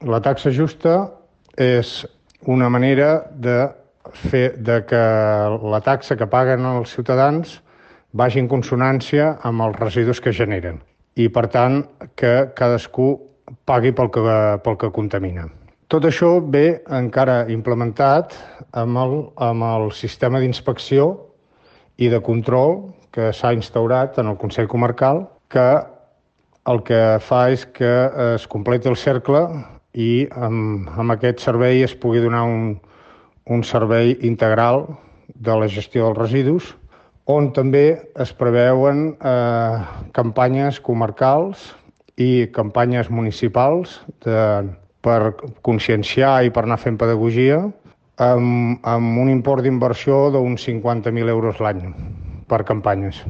La taxa justa és una manera de fer que la taxa que paguen els ciutadans vagi en consonància amb els residus que generen i, per tant, que cadascú pagui pel que contamina. Tot això ve encara implementat amb el sistema d'inspecció i de control que s'ha instaurat en el Consell Comarcal, que el que fa és que es completi el cercle i amb aquest servei es pugui donar un servei integral de la gestió dels residus, on també es preveuen campanyes comarcals i campanyes municipals per conscienciar i per anar fent pedagogia amb un import d'inversió d'uns 50.000 euros l'any per campanyes.